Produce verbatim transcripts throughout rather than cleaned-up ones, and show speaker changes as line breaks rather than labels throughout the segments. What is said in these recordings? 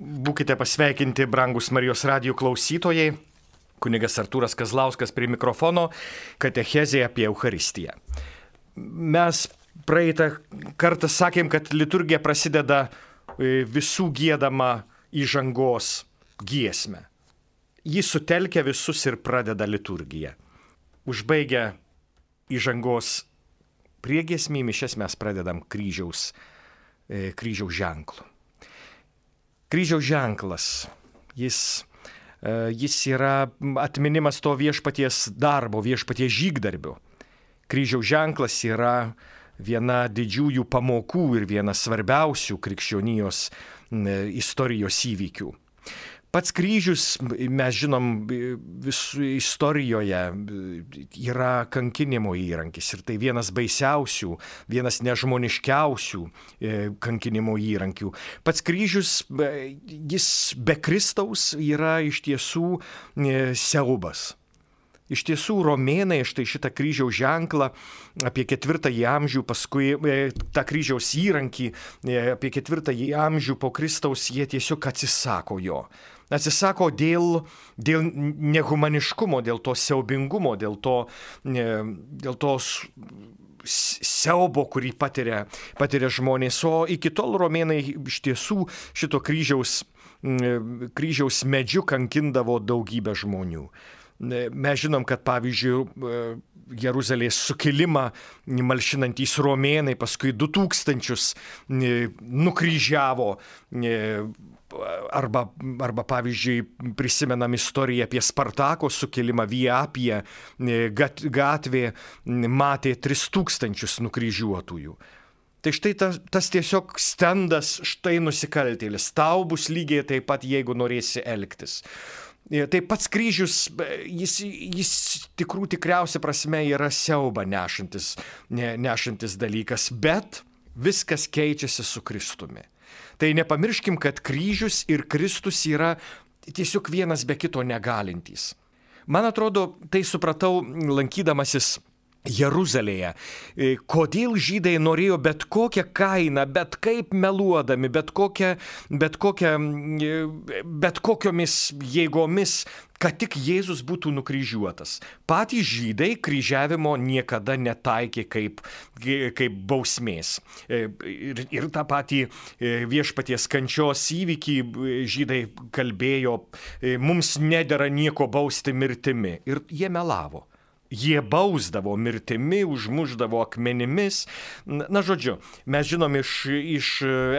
Būkite pasveikinti, brangus Marijos radijo klausytojai. Kunigas Artūras Kazlauskas prie mikrofono, katechezė apie Eucharistiją. Mes praeitą kartą sakėm, kad liturgija prasideda visų giedama įžangos giesmę. Ji sutelkia visus ir pradeda liturgiją. Užbaigę įžangos priegiesmį mišias mes pradedam kryžiaus, kryžiaus ženklu. Kryžiaus ženklas, jis, jis yra atminimas to viešpaties darbo, viešpaties žygdarbio. Kryžiaus ženklas yra viena didžiųjų pamokų ir vienas svarbiausių krikščionijos istorijos įvykių. Pats kryžius, mes žinom, visų istorijoje yra kankinimo įrankis ir tai vienas baisiausių, vienas nežmoniškiausių kankinimo įrankių. Pats kryžius, jis be Kristaus yra iš tiesų siaubas. Iš tiesų, romėnai štai šitą kryžiaus ženklą apie ketvirtąjį amžių, paskui tą kryžiaus įrankį apie ketvirtąjį amžių po Kristaus, jie tiesiog atsisako jo. Atsisako dėl, dėl nehumaniškumo, dėl to siaubingumo, dėl to, dėl to siaubo, kurį patiria, patiria žmonės. O iki tol romėnai iš tiesų šito kryžiaus, kryžiaus medžiu kankindavo daugybę žmonių. Mes žinom, kad pavyzdžiui Jeruzalės sukilimą malšinantys romėnai paskui du tūkstančius nukryžiavo arba, arba pavyzdžiui prisimenam istoriją apie Spartako sukilimą, Via Appia gatvė matė tris tūkstančius nukryžiuotųjų. Tai štai tas, tas tiesiog stendas, štai nusikaltėlis, tau bus lygiai taip pat, jeigu norėsi elgtis. Tai pats kryžius, jis, jis tikrų tikriausia prasme yra siaubą nešantis, ne, nešantis dalykas, bet viskas keičiasi su Kristumi. Tai nepamirškim, kad kryžius ir Kristus yra tiesiog vienas be kito negalintys. Man atrodo, tai supratau lankydamasis Jeruzalėje, kodėl žydai norėjo bet kokią kainą, bet kaip meluodami, bet, kokią, bet, kokią, bet kokiomis jėgomis, kad tik Jėzus būtų nukryžiuotas. Patys žydai kryžiavimo niekada netaikė kaip, kaip bausmės. Ir, ir tą patį viešpaties kančios įvykį žydai kalbėjo, mums nedera nieko bausti mirtimi. Ir jie melavo. Jie bausdavo mirtimi, užmušdavo akmenimis. Na, žodžiu, mes žinom iš, iš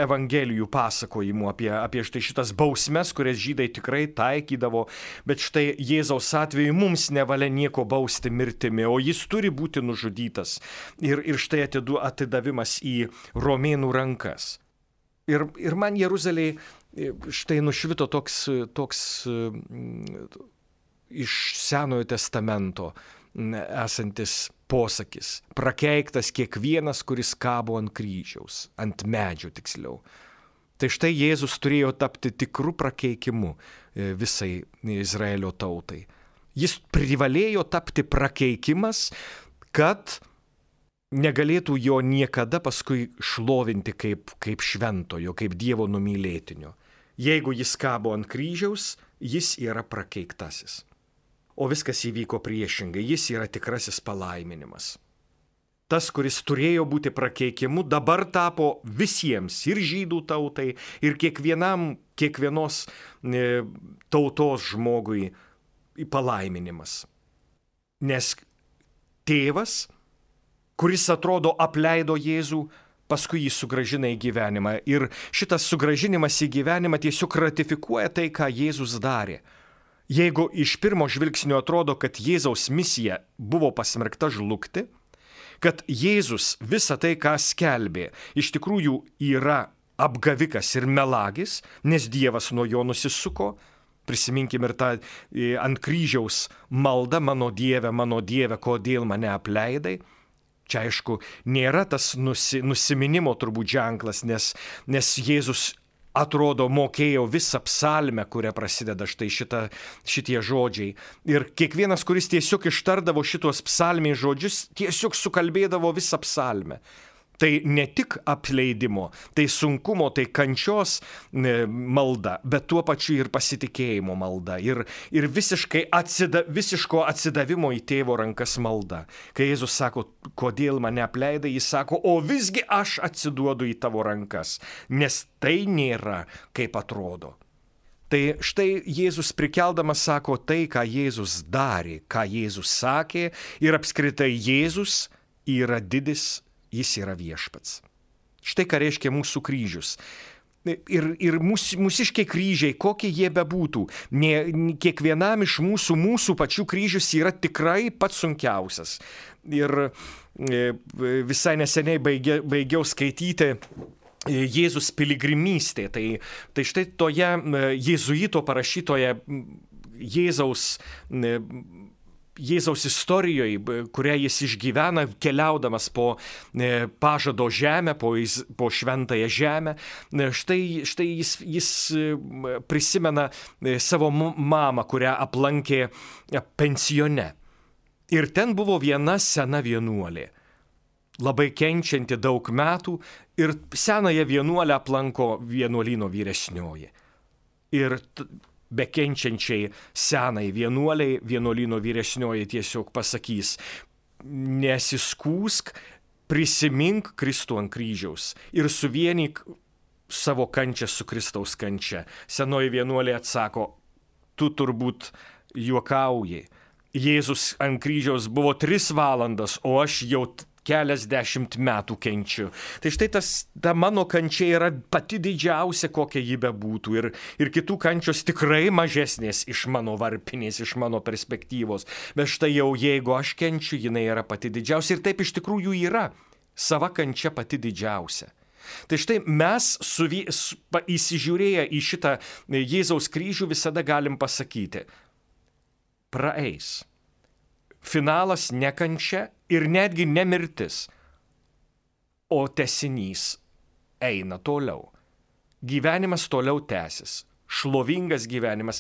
evangelijų pasakojimų apie, apie štai šitas bausmes, kurias žydai tikrai taikydavo, bet štai Jėzaus atveju mums nevalia nieko bausti mirtimi, o jis turi būti nužudytas. Ir, ir štai atidu, atidavimas į romėnų rankas. Ir, ir man Jeruzalėje štai nušvito toks, toks iš Senojo testamento esantis posakis. Prakeiktas kiekvienas, kuris kabo ant kryžiaus, ant medžio tiksliau. Tai štai Jėzus turėjo tapti tikrų prakeikimu visai Izraelio tautai. Jis privalėjo tapti prakeikimas, kad negalėtų jo niekada paskui šlovinti kaip, kaip šventojo, kaip Dievo numylėtinio. Jeigu jis kabo ant kryžiaus, jis yra prakeiktasis. O viskas įvyko priešingai, jis yra tikrasis palaiminimas. Tas, kuris turėjo būti prakeikimu, dabar tapo visiems, ir žydų tautai, ir kiekvienam, kiekvienos e, tautos žmogui palaiminimas. Nes tėvas, kuris atrodo apleido Jėzų, paskui jį sugrąžina į gyvenimą. Ir šitas sugrąžinimas į gyvenimą tiesiog ratifikuoja tai, ką Jėzus darė. Jeigu iš pirmo žvilgsnio atrodo, kad Jėzaus misija buvo pasmerkta žlugti, kad Jėzus visą tai, ką skelbė, iš tikrųjų yra apgavikas ir melagis, nes Dievas nuo jo nusisuko, prisiminkim ir tą ant kryžiaus maldą, mano Dieve, mano Dieve, kodėl mane apleidai. Čia aišku, nėra tas nusi, nusiminimo turbūt ženklas, nes, nes Jėzus atrodo, mokėjo visą psalmę, kuria prasideda štai šita, šitie žodžiai. Ir kiekvienas, kuris tiesiog ištardavo šitos psalmės žodžius, tiesiog sukalbėdavo visą psalmę. Tai ne tik apleidimo, tai sunkumo, tai kančios malda, bet tuo pačiu ir pasitikėjimo malda. Ir, ir visiškai atsida, visiško atsidavimo į tėvo rankas malda. Kai Jėzus sako, kodėl mane apleidai, jis sako, o visgi aš atsiduodu į tavo rankas, nes tai nėra, kaip atrodo. Tai štai Jėzus prikeldamas sako tai, ką Jėzus darė, ką Jėzus sakė, ir apskritai Jėzus yra didis, jis yra viešpats. Štai ką reiškia mūsų kryžius. Ir, ir mūs, mūsiškiai kryžiai, kokie jie bebūtų, ne, kiekvienam iš mūsų, mūsų pačių kryžius yra tikrai pats sunkiausias. Ir visai neseniai baigia, baigiau skaityti Jėzus piligrimystė. Tai, tai štai toje jėzuito parašytoje Jėzaus Jėzaus istorijoje, kurią jis išgyvena, keliaudamas po pažado žemę, po, po šventąją žemę, štai, štai jis, jis prisimena savo mamą, kurią aplankė pensione. Ir ten buvo viena sena vienuolė, labai kenčianti daug metų, ir senąją vienuolę aplanko vienuolyno vyresnioji. Ir bekenčiančiai senai vienuoliai, vienuolyno vyresnioji tiesiog pasakys, nesiskūsk, prisimink Kristų ant kryžiaus ir suvienyk savo kančią su Kristaus kančia. Senoji vienuolė atsako, tu turbūt juokauji. Jėzus ant kryžiaus buvo tris valandas, o aš jau keliasdešimt metų kenčiu. Tai štai tas, ta mano kančia yra pati didžiausia, kokia ji bebūtų. Ir, ir kitų kančios tikrai mažesnės iš mano varpinės, iš mano perspektyvos. Bet štai jau jeigu aš kenčiu, jinai yra pati didžiausia. Ir taip iš tikrųjų yra. Sava kančia pati didžiausia. Tai štai mes suvy, su, įsižiūrėję į šitą Jėzaus kryžių visada galim pasakyti, praeis. Finalas ne kančia ir netgi ne mirtis, o tęsinys eina toliau. Gyvenimas toliau tęsis, šlovingas gyvenimas.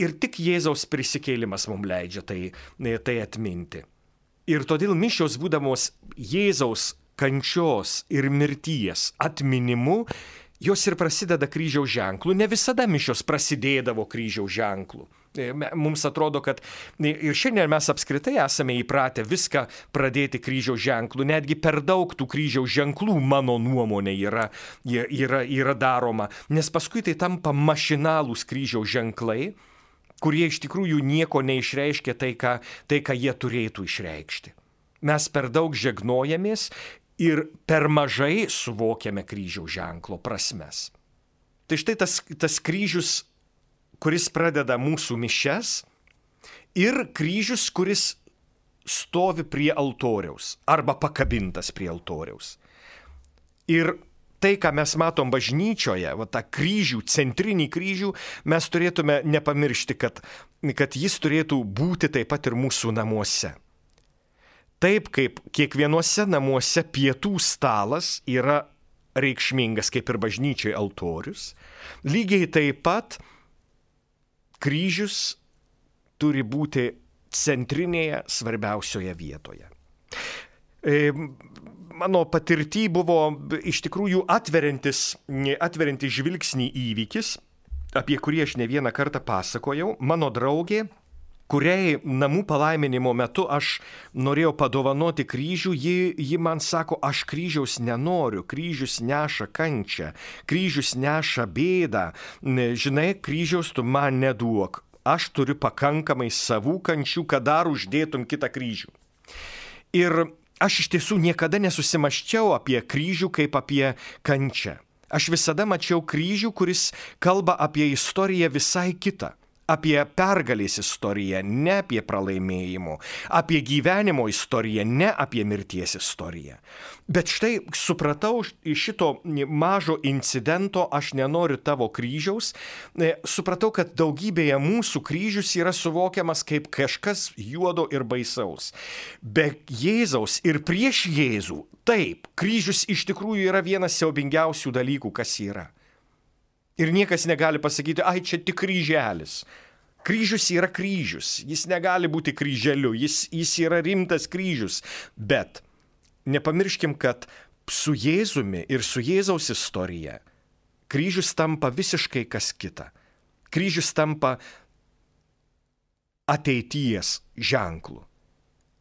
Ir tik Jėzaus prisikėlimas mums leidžia tai, tai atminti. Ir todėl mišios būdamos Jėzaus kančios ir mirties atminimu, jos ir prasideda kryžiaus ženklu. Ne visada mišios prasidėdavo kryžiaus ženklu. Mums atrodo, kad ir šiandien mes apskritai esame įpratę viską pradėti kryžiaus ženklu. Netgi per daug tų kryžiaus ženklų, mano nuomonė, yra, yra, yra daroma. Nes paskui tai tampa mašinalūs kryžiaus ženklai, kurie iš tikrųjų nieko neišreiškia tai, ką, tai, ką jie turėtų išreikšti. Mes per daug žegnojamės ir per mažai suvokiame kryžiaus ženklo prasmes. Tai štai tas, tas kryžius, kuris pradeda mūsų mišias, ir kryžius, kuris stovi prie altoriaus arba pakabintas prie altoriaus. Ir tai, ką mes matom bažnyčioje, va, tą kryžių, centrinį kryžių, mes turėtume nepamiršti, kad, kad jis turėtų būti taip pat ir mūsų namuose. Taip kaip kiekvienuose namuose pietų stalas yra reikšmingas, kaip ir bažnyčiai altorius, lygiai taip pat kryžius turi būti centrinėje, svarbiausioje vietoje. E, mano patirty buvo iš tikrųjų atveriantis, atveriantis žvilgsnį įvykis, apie kurį aš ne vieną kartą pasakojau. Mano draugė, kuriai namų palaiminimo metu aš norėjau padovanoti kryžių, ji, ji man sako, aš kryžiaus nenoriu, kryžius neša kančią, kryžius neša bėdą, žinai, kryžiaus tu man neduok, aš turiu pakankamai savų kančių, kad dar uždėtum kitą kryžių. Ir aš iš tiesų niekada nesusimaščiau apie kryžių kaip apie kančią. Aš visada mačiau kryžių, kuris kalba apie istoriją visai kitą. Apie pergalės istoriją, ne apie pralaimėjimo, apie gyvenimo istoriją, ne apie mirties istoriją. Bet štai supratau iš šito mažo incidento, aš nenoriu tavo kryžiaus, supratau, kad daugybėje mūsų kryžius yra suvokiamas kaip kažkas juodo ir baisaus. Be Jėzaus ir prieš Jėzų, taip, kryžius iš tikrųjų yra vienas siaubingiausių dalykų, kas yra. Ir niekas negali pasakyti, ai, čia tik kryželis. Kryžius yra kryžius, jis negali būti kryželiu, jis, jis yra rimtas kryžius. Bet nepamirškim, kad su Jėzumi ir su Jėzaus istorija kryžius tampa visiškai kas kita. Kryžius tampa ateities ženklu.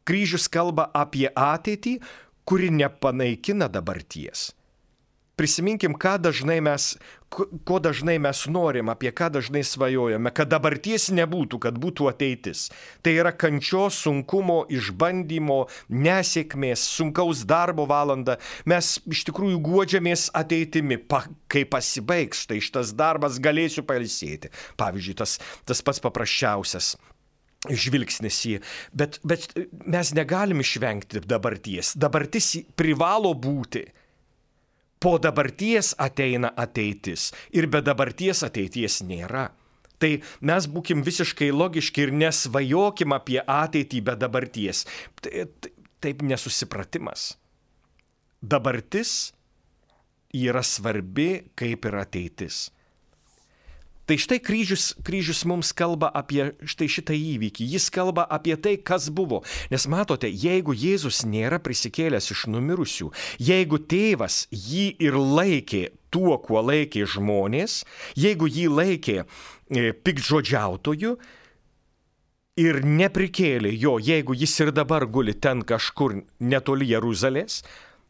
Kryžius kalba apie ateitį, kuri nepanaikina dabarties. Prisiminkim, ką dažnai mes, ko dažnai mes norim, apie ką dažnai svajojame, kad dabarties nebūtų, kad būtų ateitis. Tai yra kančios, sunkumo, išbandymo, nesėkmės, sunkaus darbo valanda. Mes iš tikrųjų guodžiamės ateitimi, pa, kai pasibaigs, tai šitas darbas galėsiu pailsėti. Pavyzdžiui, tas, tas pats paprasčiausias žvilgsnis į, bet, bet mes negalim išvengti dabarties. Dabartis privalo būti. Po dabarties ateina ateitis ir be dabarties ateities nėra. Tai mes būkim visiškai logiški ir nesvajokim apie ateitį be dabarties. Taip nesusipratimas. Dabartis yra svarbi kaip ir ateitis. Tai štai kryžius, kryžius mums kalba apie štai šitą įvykį. Jis kalba apie tai, kas buvo. Nes matote, jeigu Jėzus nėra prisikėlęs iš numirusių, jeigu tėvas jį ir laikė tuo, kuo laikė žmonės, jeigu jį laikė e, piktžodžiautoju ir neprikėlė jo, jeigu jis ir dabar guli ten kažkur netoli Jeruzalės,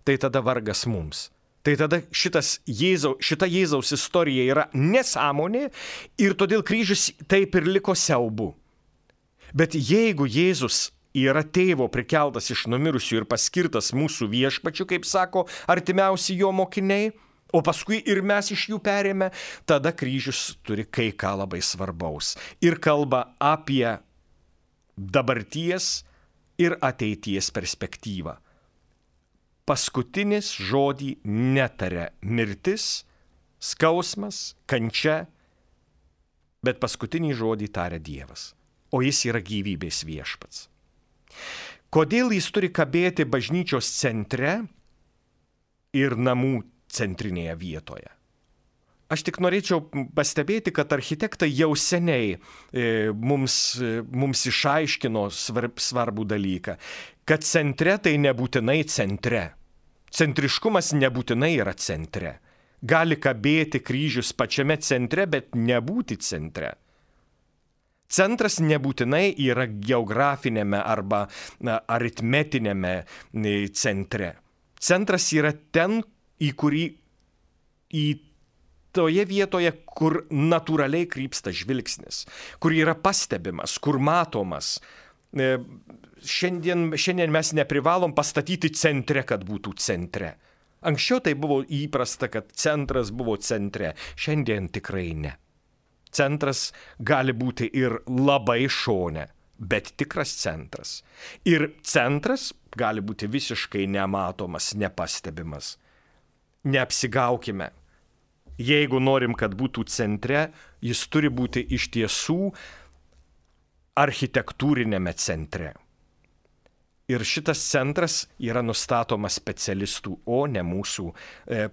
tai tada vargas mums. Tai tada šitas Jėzau, šita Jėzaus istorija yra nesąmonė ir todėl kryžius taip ir liko siaubu. Bet jeigu Jėzus yra tėvo prikeltas iš numirusių ir paskirtas mūsų viešpačiu, kaip sako artimiausi jo mokiniai, o paskui ir mes iš jų perėmė, tada kryžius turi kai ką labai svarbaus ir kalba apie dabarties ir ateities perspektyvą. Paskutinis žodį netaria mirtis, skausmas, kančia, bet paskutinį žodį taria Dievas, o jis yra gyvybės viešpats. Kodėl jis turi kabėti bažnyčios centre ir namų centrinėje vietoje? Aš tik norėčiau pastebėti, kad architektai jau seniai e, mums, e, mums išaiškino svarb, svarbų dalyką, kad centre tai nebūtinai centre. Centriškumas nebūtinai yra centre. Gali kabėti kryžius pačiame centre, bet nebūti centre. Centras nebūtinai yra geografinėme arba na, aritmetinėme centre. Centras yra ten, į kurį į toje vietoje, kur natūraliai krypsta žvilgsnis, kur yra pastebimas, kur matomas. Šiandien, šiandien mes neprivalom pastatyti centre, kad būtų centre. Anksčiau tai buvo įprasta, kad centras buvo centre. Šiandien tikrai ne. Centras gali būti ir labai šone, bet tikras centras. Ir centras gali būti visiškai nematomas, nepastebimas. Neapsigaukime. Jeigu norim, kad būtų centre, jis turi būti iš tiesų architektūrinėme centre. Ir šitas centras yra nustatomas specialistų, o ne mūsų e,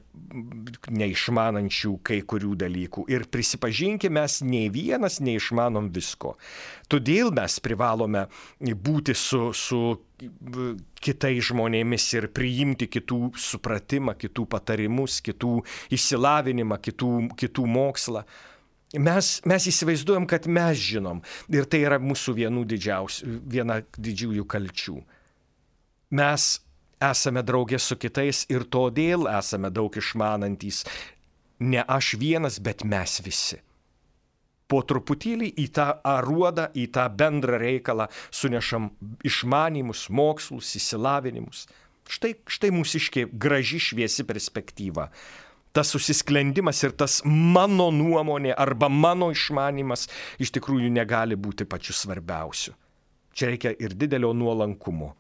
neišmanančių kai kurių dalykų. Ir prisipažinkime, mes nei vienas neišmanom visko. Todėl mes privalome būti su, su kitais žmonėmis ir priimti kitų supratimą, kitų patarimus, kitų išsilavinimą, kitų, kitų mokslą. Mes, mes įsivaizduojam, kad mes žinom. Ir tai yra mūsų vienų didžiausių, viena didžiųjų kalčių. Mes esame draugė su kitais ir todėl esame daug išmanantys. Ne aš vienas, bet mes visi. Po truputėlį į tą aruodą, į tą bendrą reikalą sunešam išmanimus, mokslus, įsilavinimus. Štai, štai mūsiškė graži šviesi perspektyva. Tas susisklendimas ir tas mano nuomonė arba mano išmanimas iš tikrųjų negali būti pačiu svarbiausiu. Čia reikia ir didelio nuolankumo.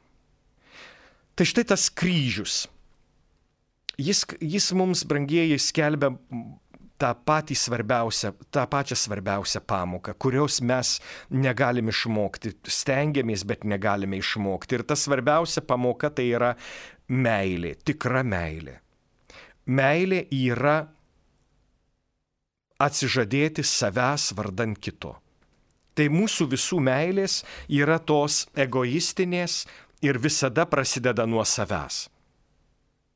Tai štai tas kryžius. Jis, jis mums, brangieji, skelbia tą patį svarbiausią, tą pačią svarbiausią pamoką, kurios mes negalim išmokti. Stengiamės, bet negalime išmokti. Ir ta svarbiausia pamoka tai yra meilė, tikra meilė. Meilė yra atsižadėti savęs vardan kito. Tai mūsų visų meilės yra tos egoistinės ir visada prasideda nuo savęs.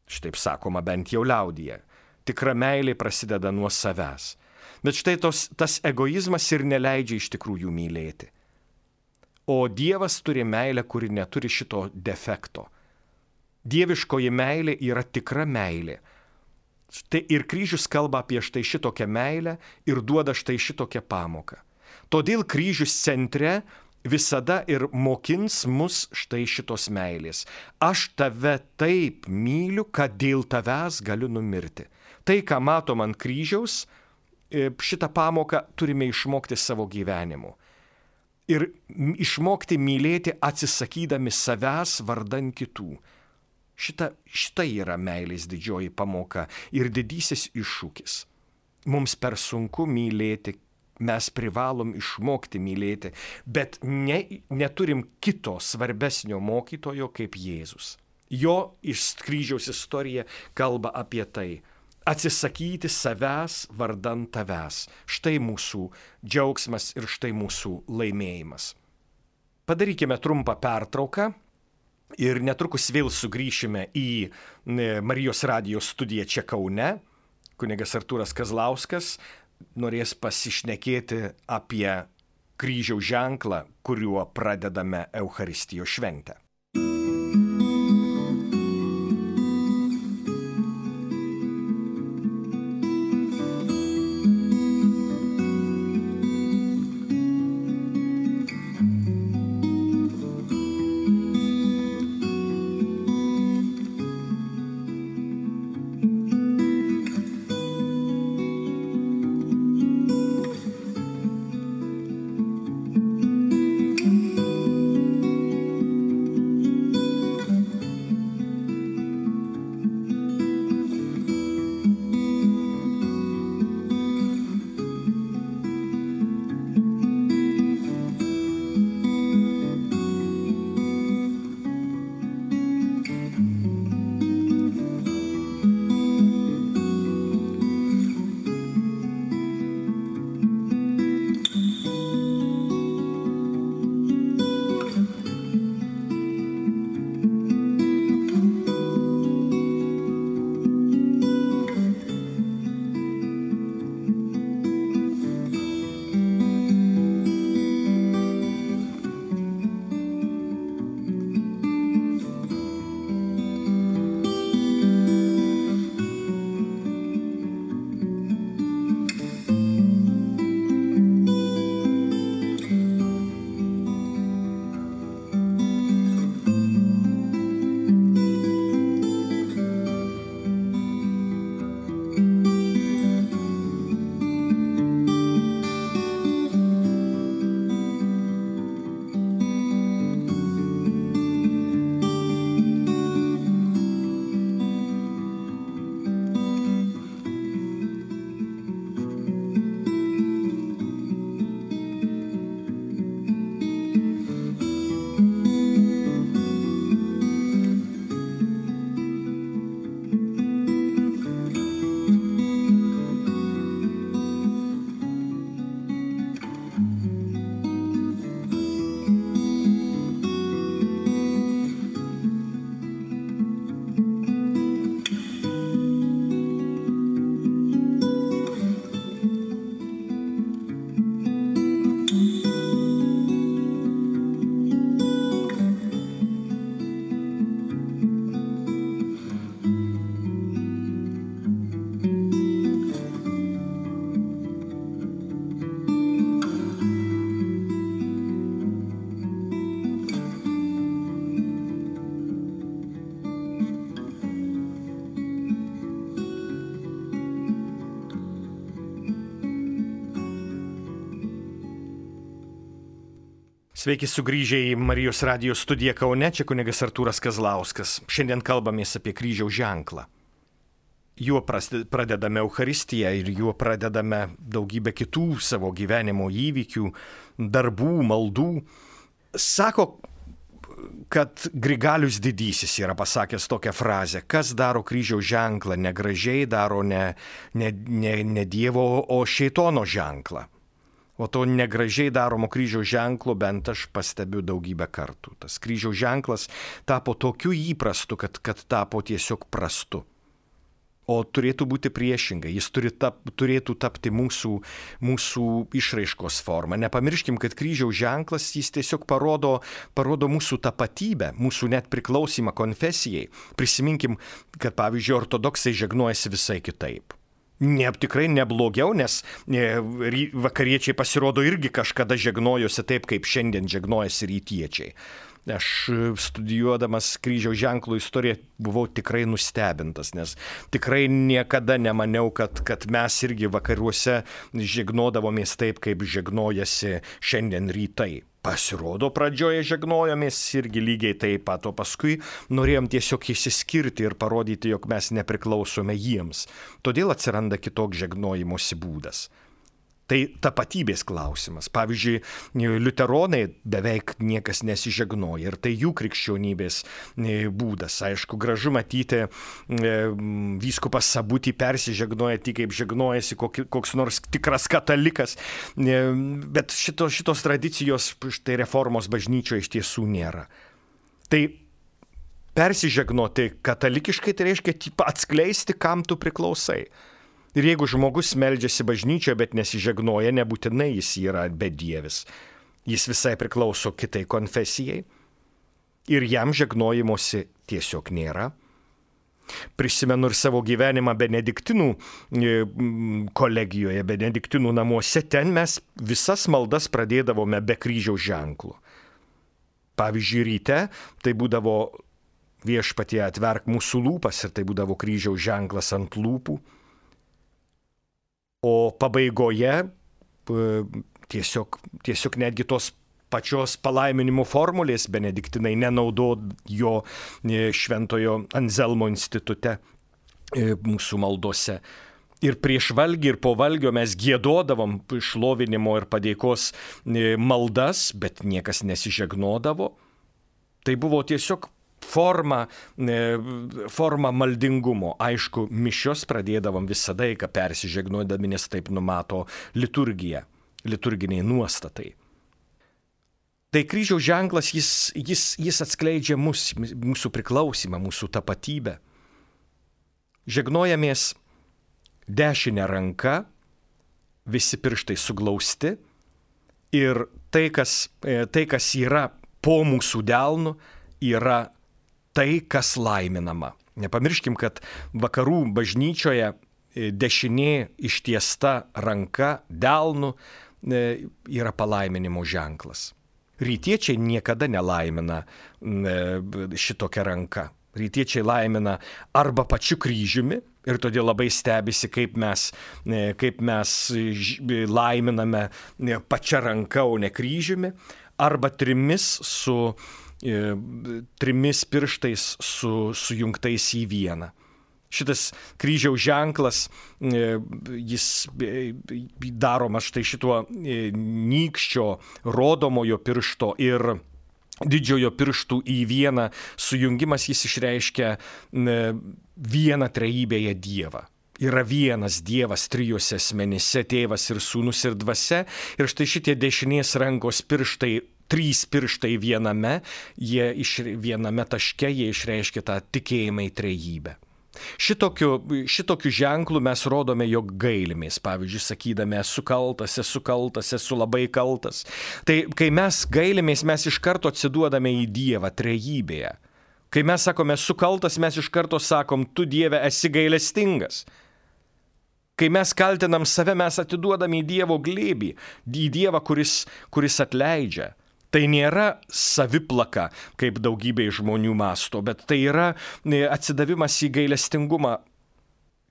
Štaip sakoma bent jau liaudyje. Tikra meilė prasideda nuo savęs. Bet štai tos, tas egoizmas ir neleidžia iš tikrųjų mylėti. O Dievas turi meilę, kuri neturi šito defekto. Dieviškoji meilė yra tikra meilė. Štai ir kryžius kalba apie štai šitokią meilę ir duoda štai šitokią pamoką. Todėl kryžius centre visada ir mokins mus štai šitos meilės. Aš tave taip myliu, kad dėl tavęs galiu numirti. Tai, ką matom ant kryžiaus, šitą pamoką turime išmokti savo gyvenimu. Ir išmokti mylėti atsisakydami savęs vardan kitų. Šita, šita yra meilės didžioji pamoka ir didysis iššūkis. Mums per sunku mylėti, mes privalom išmokti mylėti, bet ne, neturim kito svarbesnio mokytojo kaip Jėzus. Jo iš kryžiaus istorija kalba apie tai. Atsisakyti savęs vardan tavęs. Štai mūsų džiaugsmas ir štai mūsų laimėjimas. Padarykime trumpą pertrauką ir netrukus vėl sugrįšime į Marijos radijos studiją čia Kaune. Kunigas Artūras Kazlauskas norės pasišnekėti apie kryžiaus ženklą, kuriuo pradedame Eucharistijos šventę. Sveiki sugrįžę į Marijos radijos studiją Kaune, čia kunigas Artūras Kazlauskas. Šiandien kalbamės apie kryžiaus ženklą. Juo pradedame Eucharistiją ir juo pradedame daugybę kitų savo gyvenimo įvykių, darbų, maldų. Sako, kad Grigalius Didysis yra pasakęs tokią frazę, kas daro kryžiaus ženklą, negražiai daro ne, ne, ne, ne Dievo, o šėtono ženklą. O to negražiai daromo kryžiaus ženklo bent aš pastebiu daugybę kartų. Tas kryžiaus ženklas tapo tokiu įprastu, kad, kad tapo tiesiog prastu. O turėtų būti priešingai, jis turi tap, turėtų tapti mūsų, mūsų išraiškos forma. Nepamirškim, kad kryžiaus ženklas jis tiesiog parodo, parodo mūsų tapatybę, mūsų net priklausimą konfesijai. Prisiminkim, kad pavyzdžiui ortodoksai žegnojasi visai kitaip. Ne, tikrai neblogiau, nes vakariečiai pasirodo irgi kažkada žegnojosi taip, kaip šiandien žegnojasi rytiečiai. Aš studijuodamas kryžiaus ženklų istoriją buvau tikrai nustebintas, nes tikrai niekada nemaniau, kad, kad mes irgi vakaruose žegnodavomės taip, kaip žegnojasi šiandien rytai. Pasirodo, pradžioje žegnojomės irgi lygiai taip pat, o paskui norėjom tiesiog išsiskirti ir parodyti, jog mes nepriklausome jiems. Todėl atsiranda kitoks žegnojimosi būdas. Tai tapatybės klausimas. Pavyzdžiui, liuteronai beveik niekas nesižegnoja ir tai jų krikščionybės būdas. Aišku, gražu matyti vyskupas Sabutį persižegnoja tik kaip žegnojasi koks nors tikras katalikas, bet šito, šitos tradicijos štai reformos bažnyčioje iš tiesų nėra. Tai persižegnoti katalikiškai tai reiškia atskleisti, kam tu priklausai. Ir jeigu žmogus meldžiasi bažnyčioje, bet nesižegnoja, nebūtinai jis yra bedievis. Jis visai priklauso kitai konfesijai ir jam žegnojimosi tiesiog nėra. Prisimenu ir savo gyvenimą benediktinų kolegijoje, benediktinų namuose. Ten mes visas maldas pradėdavome be kryžiaus ženklų. Pavyzdžiui, ryte tai būdavo Viešpatie atverk mūsų lūpas ir tai būdavo kryžiaus ženklas ant lūpų. O pabaigoje tiesiog, tiesiog netgi tos pačios palaiminimo formulės benediktinai nenaudojo Šventojo Anzelmo institute mūsų maldose. Ir prieš valgį ir po valgio mes giedodavom šlovinimo ir padėkos maldas, bet niekas nesižegnodavo. Tai buvo tiesiog Forma, forma maldingumo. Aišku, mišios pradėdavom visada, kai persižegnuodami, nes taip numato liturgija, liturginiai nuostatai. Tai kryžiaus ženklas, jis, jis, jis atskleidžia mus, mūsų priklausimą, mūsų tapatybę. Žegnojamės dešinę ranką, visi pirštai suglausti ir tai, kas, tai, kas yra po mūsų delnu, yra tai, kas laiminama. Nepamirškim, kad vakarų bažnyčioje dešinė ištiesta ranka delnu yra palaiminimo ženklas. Rytiečiai niekada nelaimina šitokią ranką. Rytiečiai laimina arba pačiu kryžiumi ir todėl labai stebisi, kaip mes, kaip mes laiminame pačią ranką, o ne kryžiumi, arba trimis su trimis pirštais su, sujungtais į vieną. Šitas kryžiaus ženklas, jis daromas štai šituo nykščio rodomojo piršto ir didžiojo pirštų į vieną sujungimas, jis išreiškia vieną trejybėje Dievą. Yra vienas Dievas trijuose asmenyse, Tėvas ir Sūnus ir Dvasia. Ir štai šitie dešinės rankos pirštai, trys pirštai viename, jie iš viename taške, jie išreiškia tą tikėjimą į trejybę. Šitokiu, šitokiu ženklu mes rodome, jog gailimės, pavyzdžiui, sakydami, esu kaltas, esu kaltas, esu labai kaltas. Tai kai mes gailimės, mes iš karto atsiduodame į Dievą trejybėje. Kai mes sakome, esu kaltas, mes iš karto sakom, tu Dieve esi gailestingas. Kai mes kaltinam save, mes atiduodame į Dievo glėbį, į Dievą, kuris, kuris atleidžia. Tai nėra saviplaka, kaip daugybė žmonių masto, bet tai yra atsidavimas į gailestingumą.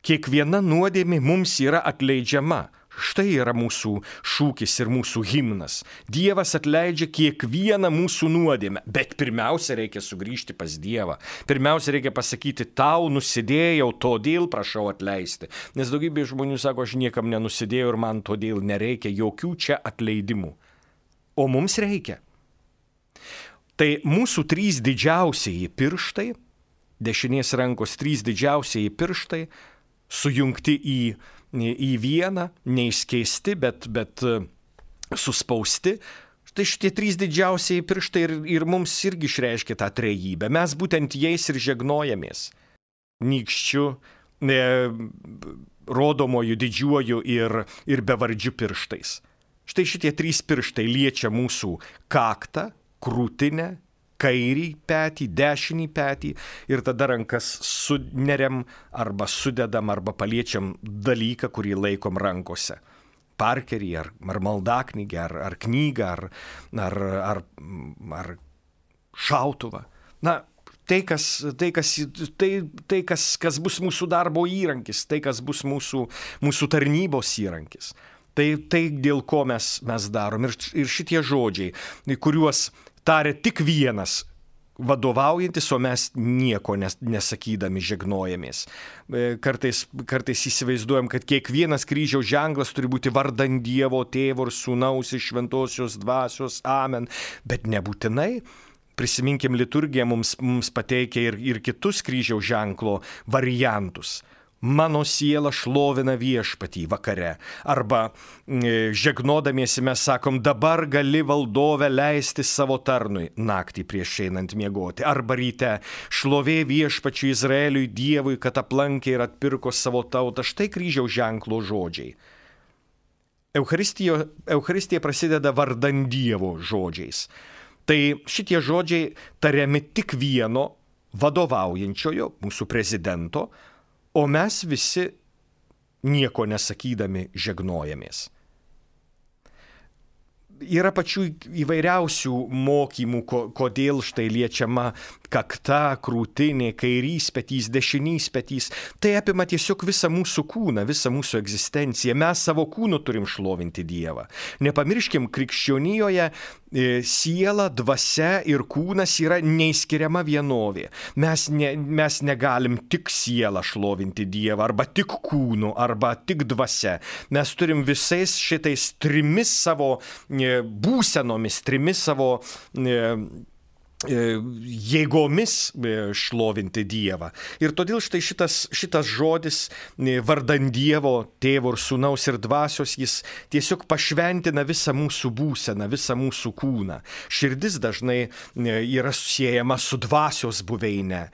Kiekviena nuodėmė mums yra atleidžiama. Štai yra mūsų šūkis ir mūsų himnas. Dievas atleidžia kiekvieną mūsų nuodėmę, bet pirmiausia reikia sugrįžti pas Dievą. Pirmiausia reikia pasakyti, tau nusidėjau, todėl prašau atleisti. Nes daugybė žmonių sako, aš niekam nenusidėjau ir man todėl nereikia jokių čia atleidimų. O mums reikia. Tai mūsų trys didžiausieji pirštai, dešinės rankos trys didžiausieji pirštai, sujungti į, į vieną, neišskeisti, bet, bet suspausti. Štai šitie trys didžiausiai pirštai ir, ir mums irgi išreiškia tą trejybę. Mes būtent jais ir žegnojamės. Nykščiu, e, rodomoju, didžiuoju ir, ir bevardžiu pirštais. Štai šitie trys pirštai liečia mūsų kaktą, krūtinę, kairį petį, dešinį petį ir tada rankas suneriam arba sudedam arba paliečiam dalyką, kurį laikom rankose. Parkerį ar, ar maldaknygę, ar, ar knygą, ar, ar, ar, ar šautuvą. Na, tai, kas, tai, kas, tai, tai kas, kas bus mūsų darbo įrankis, tai, kas bus mūsų, mūsų tarnybos įrankis. Tai, tai dėl ko mes, mes darom. Ir, ir šitie žodžiai, kuriuos taria tik vienas vadovaujantis, o mes nieko nes, nesakydami žegnojamės. Kartais, kartais įsivaizduojam, kad kiekvienas kryžiaus ženklas turi būti vardan Dievo, Tėvo ir Sūnaus ir Šventosios Dvasios. Amen. Bet nebūtinai. Prisiminkim, liturgija mums, mums pateikia ir, ir kitus kryžiaus ženklo variantus. Mano siela šlovina viešpatį vakare. Arba e, žegnodamiesi mes sakom, dabar gali valdove leisti savo tarnui naktį prieš einant miegoti. Arba ryte šlovė viešpačiui Izraeliui Dievui, kad aplankė ir atpirko savo tautą. Štai kryžiaus ženklo žodžiai. Eucharistija prasideda vardan Dievo žodžiais. Tai šitie žodžiai tariami tik vieno vadovaujančiojo, mūsų prezidento, o mes visi nieko nesakydami žegnojamės. Yra pačių įvairiausių mokymų, ko, kodėl štai liečiama kakta, krūtinė, kairys petys, dešinys petys. Tai apima tiesiog visą mūsų kūną, visą mūsų egzistenciją. Mes savo kūnu turim šlovinti Dievą. Nepamirškim, krikščionijoje siela, dvasia ir kūnas yra neįskiriama vienovė. Mes, ne, mes negalim tik sielą šlovinti Dievą, arba tik kūnu, arba tik dvasia. Mes turim visais šitais trimis savo būsenomis, trimis savo jėgomis šlovinti Dievą. Ir todėl štai šitas, šitas žodis vardan Dievo, Tėvo ir Sūnaus ir Dvasios, jis tiesiog pašventina visą mūsų būseną, visą mūsų kūną. Širdis dažnai yra siejama su dvasios buveine.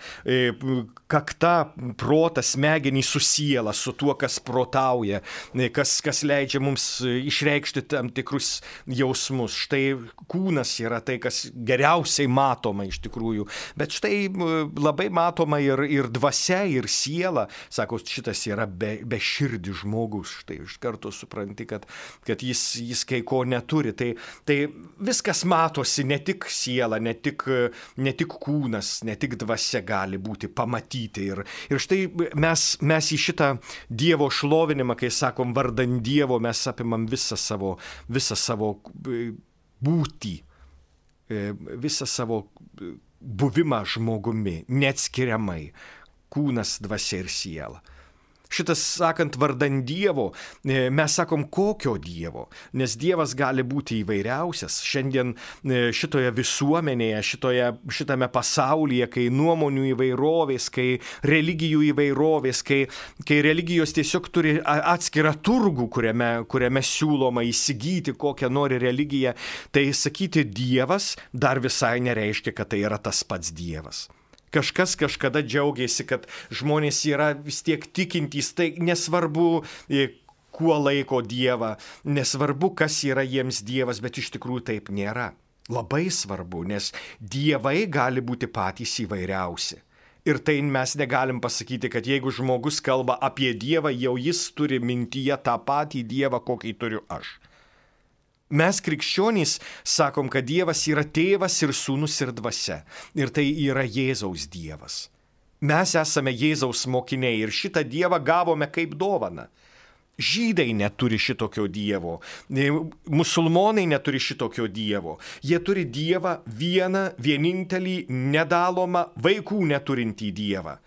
Kakta, protas, smegenys su siela, su tuo, kas protauja, kas, kas leidžia mums išreikšti tam tikrus jausmus. Štai kūnas yra tai, kas geriausiai matoma iš tikrųjų. Bet štai labai matoma ir, ir dvasia, ir siela. Sako, šitas yra be, be širdis žmogus. Štai iš karto supranti, kad, kad jis, jis kai ko neturi. Tai, tai viskas matosi, ne tik siela, ne tik, ne tik kūnas, ne tik dvasia gali būti pamatyti. Ir, ir štai mes, mes į šitą Dievo šlovinimą, kai sakom vardan Dievo, mes apimam visą savo, visą savo būtį, visą savo buvimą žmogumi, neatskiriamai, kūnas, dvasia ir siela. Šitas, sakant, vardan Dievo, mes sakom, kokio Dievo, nes Dievas gali būti įvairiausias. Šiandien šitoje visuomenėje, šitoje, šitame pasaulyje, kai nuomonių įvairovės, kai religijų įvairovės, kai, kai religijos tiesiog turi atskirą turgų, kuriame, kuriame siūloma įsigyti kokią nori religiją, tai sakyti Dievas dar visai nereiškia, kad tai yra tas pats Dievas. Kažkas kažkada džiaugiasi, kad žmonės yra vis tiek tikintys, tai nesvarbu, kuo laiko Dievą, nesvarbu, kas yra jiems Dievas, bet iš tikrųjų taip nėra. Labai svarbu, nes dievai gali būti patys įvairiausi. Ir tai mes negalim pasakyti, kad jeigu žmogus kalba apie Dievą, jau jis turi mintyje tą patį Dievą, kokį turiu aš. Mes krikščionys sakom, kad Dievas yra tėvas ir sūnus ir dvasia. Ir tai yra Jėzaus Dievas. Mes esame Jėzaus mokiniai ir šitą Dievą gavome kaip dovaną. Žydai neturi šitokio Dievo, musulmonai neturi šitokio Dievo. Jie turi Dievą vieną, vienintelį, nedalomą, vaikų neturintį Dievą.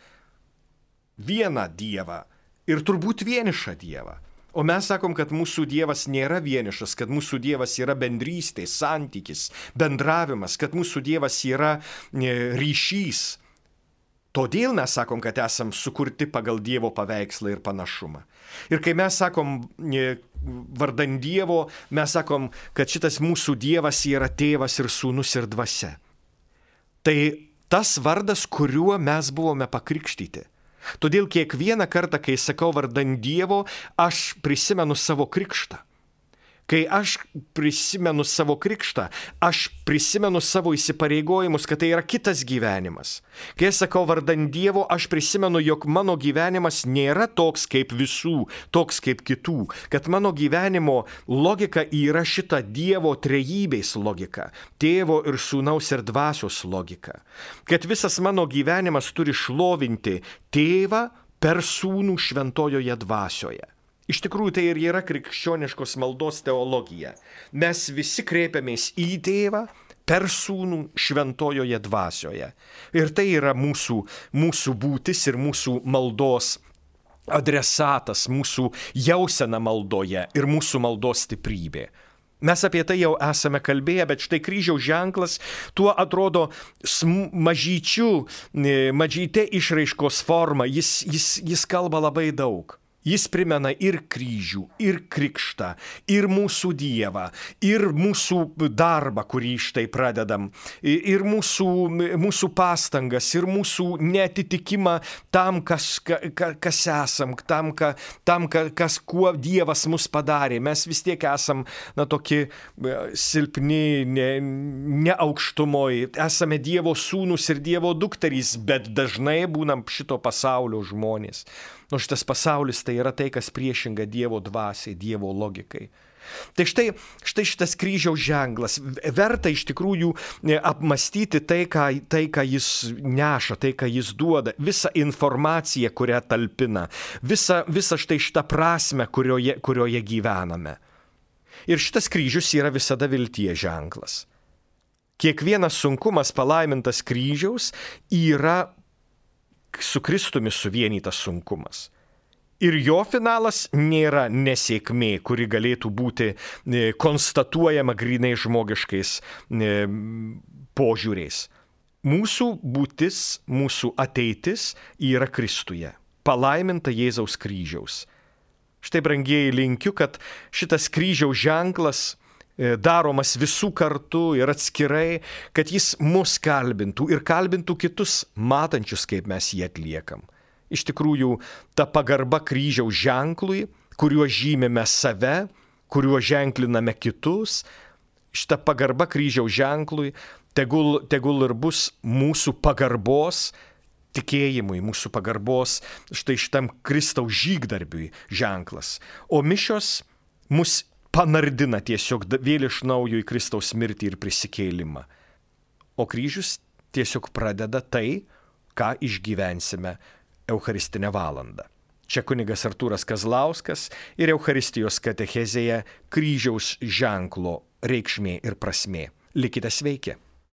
Vieną Dievą ir turbūt vienišą Dievą. O mes sakom, kad mūsų Dievas nėra vienišas, kad mūsų Dievas yra bendrystė, santykis, bendravimas, kad mūsų Dievas yra ryšys. Todėl mes sakom, kad esam sukurti pagal Dievo paveikslą ir panašumą. Ir kai mes sakom vardan Dievo, mes sakom, kad šitas mūsų Dievas yra tėvas ir sūnus ir dvasia. Tai tas vardas, kuriuo mes buvome pakrikštyti. Todėl kiekvieną kartą, kai sakau vardan Dievo, aš prisimenu savo krikštą. Kai aš prisimenu savo krikštą, aš prisimenu savo įsipareigojimus, kad tai yra kitas gyvenimas. Kai aš sakau vardan Dievo, aš prisimenu, jog mano gyvenimas nėra toks kaip visų, toks kaip kitų, kad mano gyvenimo logika yra šita Dievo trejybės logika, tėvo ir sūnaus ir dvasios logika. Kad visas mano gyvenimas turi šlovinti tėvą per sūnų šventojoje dvasioje. Iš tikrųjų, tai ir yra krikščioniškos maldos teologija. Mes visi kreipiamės į tėvą per sūnų šventojoje dvasioje. Ir tai yra mūsų, mūsų būtis ir mūsų maldos adresatas, mūsų jausena maldoje ir mūsų maldos stiprybė. Mes apie tai jau esame kalbėję, bet štai kryžiaus ženklas tuo atrodo mažyčių, mažytė išraiškos forma. Jis, jis, jis kalba labai daug. Jis primena ir kryžių, ir krikštą, ir mūsų Dievą, ir mūsų darbą, kurį štai pradedam, ir mūsų, mūsų pastangas, ir mūsų neatitikimą tam, kas, ka, kas esam, tam, ka, tam kas, kuo Dievas mus padarė. Mes vis tiek esam, na, tokie silpni, ne, ne aukštumoj, esame Dievo sūnus ir Dievo dukterys, bet dažnai būnam šito pasaulio žmonės. Nu, šitas pasaulis tai yra tai, kas priešinga Dievo dvasiai, Dievo logikai. Tai štai, štai šitas kryžiaus ženklas. Verta iš tikrųjų apmastyti tai ką, tai, ką jis neša, tai, ką jis duoda, visą informaciją, kurią talpina, visą, visą štai šitą prasmę, kurioje, kurioje gyvename. Ir šitas kryžius yra visada vilties ženklas. Kiekvienas sunkumas palaimintas kryžiaus yra su Kristumi suvienytas sunkumas. Ir jo finalas nėra nesėkmė, kuri galėtų būti konstatuojama grynai žmogiškais požiūriais. Mūsų būtis, mūsų ateitis yra Kristuje, palaiminta Jėzaus kryžiaus. Štai, brangieji, linkiu, kad šitas kryžiaus ženklas daromas visų kartu ir atskirai, kad jis mus kalbintų ir kalbintų kitus matančius, kaip mes jį atliekam. Iš tikrųjų, ta pagarba kryžiaus ženklui, kuriuo žymime save, kuriuo ženkliname kitus, šita pagarba kryžiaus ženklui tegul, tegul ir bus mūsų pagarbos tikėjimui, mūsų pagarbos štai šitam Kristaus žygdarbiui ženklas. O mišios mus panardina tiesiog vėl iš naujo į Kristaus mirtį ir prisikėlimą. O kryžius tiesiog pradeda tai, ką išgyvensime Eucharistinę valandą. Čia kunigas Artūras Kazlauskas ir Eucharistijos katechezėje kryžiaus ženklo reikšmė ir prasmė. Likite sveiki.